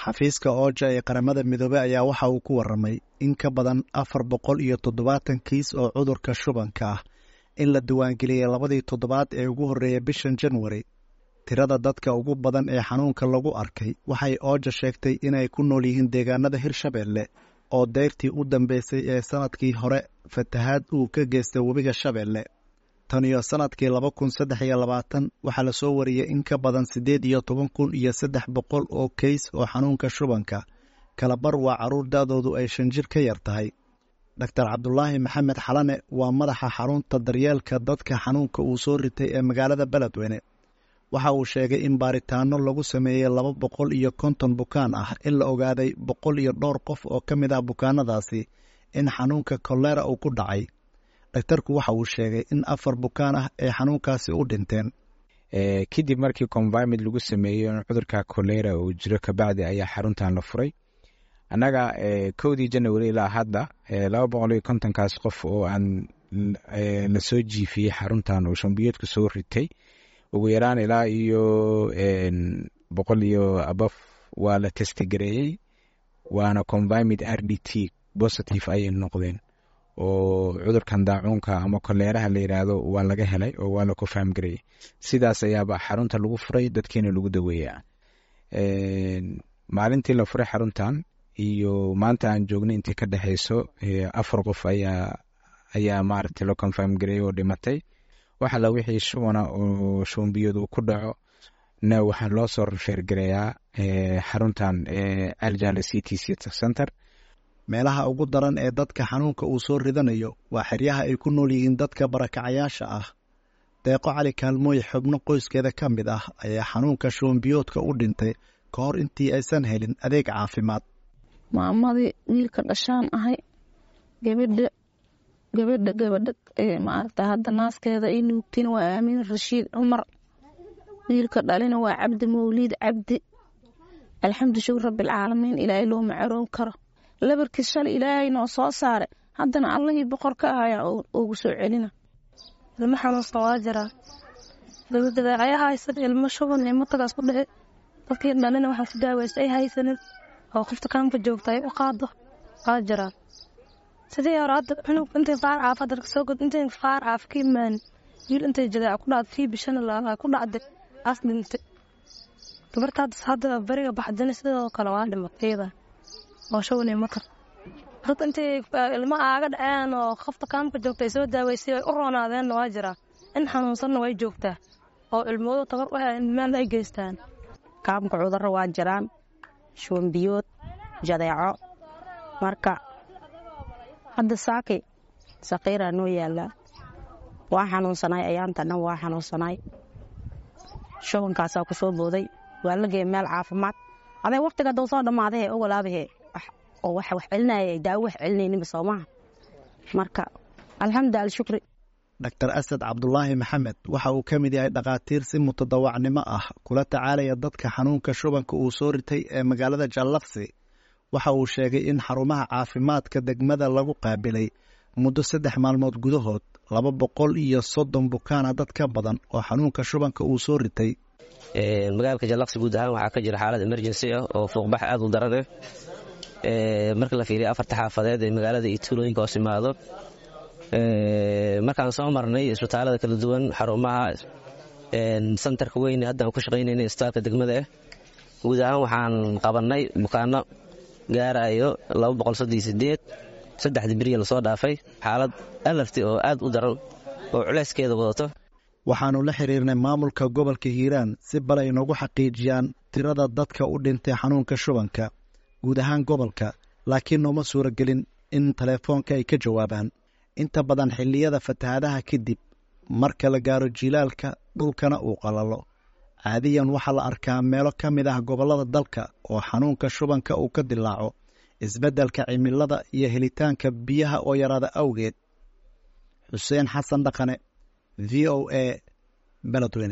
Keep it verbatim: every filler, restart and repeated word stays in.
Xafiiska OCHA ee Qaramada Midoobey ayaa waxa uu ku waramay in ka badan afar boqol iyo toddobaatan kiis oo cudurka shubanka ah in la diiwaangeliyey labadii toddobaad ee ugu horreeyay bishan Janwari. Tirada dadka ugu badan ee xanuunka lagu arkay waxay OCHA sheegtay inay ku nool yihiin deegaanada Hirshabelle oo deyrtii u dambeysay ee sanadkii hore fatahaad uu ka geystay webiga Shabeelle. Tan iyo sanadkii laba kun saddex iyo labaatan waxaa lasoo wariyey in ka badan siddeed iyo toban kun iyo saddex boqol oo keys oo xanuunka shubanka kalabar waa carruur da'doodu ay shan jir ka yar tahay. Doctor Cabdulaahi Maxamed Xalane waa madaxa xarunta daryeelka dadka xanuunka uu soo ritay ee magaalada Beledweyne. Waxa uu sheegay in baaritaano lagu sameeyey laba boqol iyo konton bukaan ah in la ogaaday boqol iyo dhowr qof oo ka mid ah bukaanadaasi in xanuunka kolera uu ku dhacay. Dhaktarku waxa uu sheegay in afar bukaan ah ay xanuunkaasi u dhinteen. Kadib markii confirmed lagu sameeyey in cudurka kolera uu jiro, kabacdi ayaa xaruntan la furay. Annaga kowdii Janawari ilaa hadda laba boqol iyo kontonkaas qof oo aan lasoo jiifiyey xaruntan oo shambiyoodka soo ritay, ugu yaraan ilaa iyo boqol iyo above waa la test gareeyey, waana confirmed R D T positive ayay noqdeen, oo cudurkan daacuunka ama koleeraha la yiraahdo waa laga helay oo waa la confirm gareeyey. Sidaas ayaaba xarunta lagu furay, dadkiina lagu daweeyaa. Maalintii la furay xaruntan iyo maanta aan joognay intii ka dhexeyso, afar qof ayaa ayaa maaragtay la confirm gareeyey oo dhimatay. Waxa la wixii shubana oo shubanbiyood uu ku dhaco na waxaa loo soo refer gareeyaa xaruntan Ceeljaale C T C Center. Meelaha ugu daran ee dadka xanuunka uu soo ridanayo waa xeryaha ay ku nool yihiin dadka barakacayaasha ah. Deeqo Cali Kaalmooy xubno qoyskeeda ka mid ah ayaa xanuunka shubanbiyoodka u dhintay ka hor intii aysan helin adeeg caafimaad. Maamadii wiilka dhashaan ahay, gabadha gabadha gabadha ee maaragta hadda naaskeeda ay nuugtiin waa Aamin Rashiid Cumar, wiilka dhalina waa Cabdi Mawliid Cabdi. Alxamdu shukr rabbilcaalamiin, Ilaahay looma caroon karo. Labarkii shalay Ilaahay noo soo saaray, haddana Allihii boqor ka ahayaa ugu soo celina. Ilmo xanuunsan waa jiraa, dabadeecaya haysan, ilmo shuban iyo matagaas ku dhici, dadkii dhalina waxaan ku daaweysta ay haysanin oo qofta kaamka joogta ay u qaado waa jiraa. Sidii hore hadda cunug intay faar caafa dadka soo god, intay faar caaf ka imaan, wiil intay jadeeca ku dhacday, kii bishana la ku dhacday as dhintay. Gabarta hadda hadda bariga baxdana sidoo kale waa dhimatay iyada oo shuban iyo matar. Dad intay ilmo aaga dhaceen oo qofta kaamka joogta ay soo daaweysay ay u roonaadeenna waa jiraa. In xanuunsanna way joogtaa oo ilmoodu tabar u hayn meel ay geystaan. Kaamka cudurro waa jiraan, shuban biyood, jadeeco. Marka hadda saaki saqiiraa noo yaallaa, waa xanuunsanay ayaanta dhan, waa xanuunsanay, shubankaasaa ku soo booday, waa la geeyay meel caafimaad. Aday waqtiga dhow soo dhammaadahe ogolaabahe oo waxa wax celinaya daawo wax celinayninba soomaha. Marka alxamdu alshukri. Doctor Asad Cabdulaahi Maxamed waxa uu ka mid yahay dhakhaatiir si mutadawacnimo ah kula tacaalaya dadka xanuunka shubanka uu soo ritay ee magaalada Jallaqsi. Waxa uu sheegay in xarumaha caafimaadka degmada lagu qaabilay muddo saddex maalmood gudahood laba boqol iyo soddon bukaana dad ka badan oo xanuunka shubanka uu soo ritay. Magaalka Jallaqsi guud ahaan waxaa ka jira xaalad emergency ah oo fuuqbax aad u daran ah. Marka la fiiriyo afarta xaafadeed ee magaalada iyo tuulooyinka hoos imaado, markaan soo marnay isbitaalada kala duwan, xarumaha santarka weyn hadda aan ku shaqaynayna, isbitaalka degmada ah, guud ahaan waxaan qabannay bukaano gaarayo laba boqol soddon iyo sideed saddexdii beriya lasoo dhaafay, xaalad alarti oo aad u daran oo culeyskeeda wadato. Waxaannu la xiriirnay maamulka gobolka Hiiraan si bal ay noogu xaqiijiyaan tirada dadka u dhintay xanuunka shubanka guud ahaan gobolka, laakiin nooma suuragelin in telefoonka ay ka jawaabaan. Inta badan xilliyada fatahaadaha kadib, marka la gaaro jilaalka dhulkana uu qalalo, caadiyan waxaa la arkaa meelo ka mid ah gobollada dalka oo xanuunka shubanka uu ka dilaaco isbeddelka cimilada iyo helitaanka biyaha oo yaraada awgeed. Xuseen Xasan Dhaqane, V O A, Beledweyne.